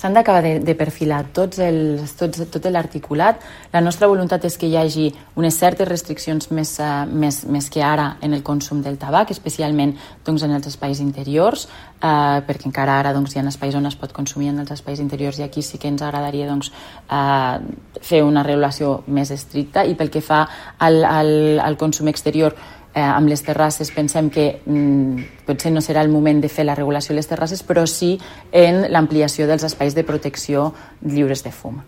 s'han d'acabar de perfilar tot l'articulat. La nostra voluntat és que hi hagi unes certes restriccions més que ara en el consum del tabac, especialment en els espais interiors, perquè encara ara hi ha espais on es pot consumir en els espais interiors i aquí sí que ens agradaria fer una regulació més estricta. I pel que fa al consum exterior, amb les terrasses pensem que potser no serà el moment de fer la regulació de les terrasses, però sí en l'ampliació dels espais de protecció lliures de fum.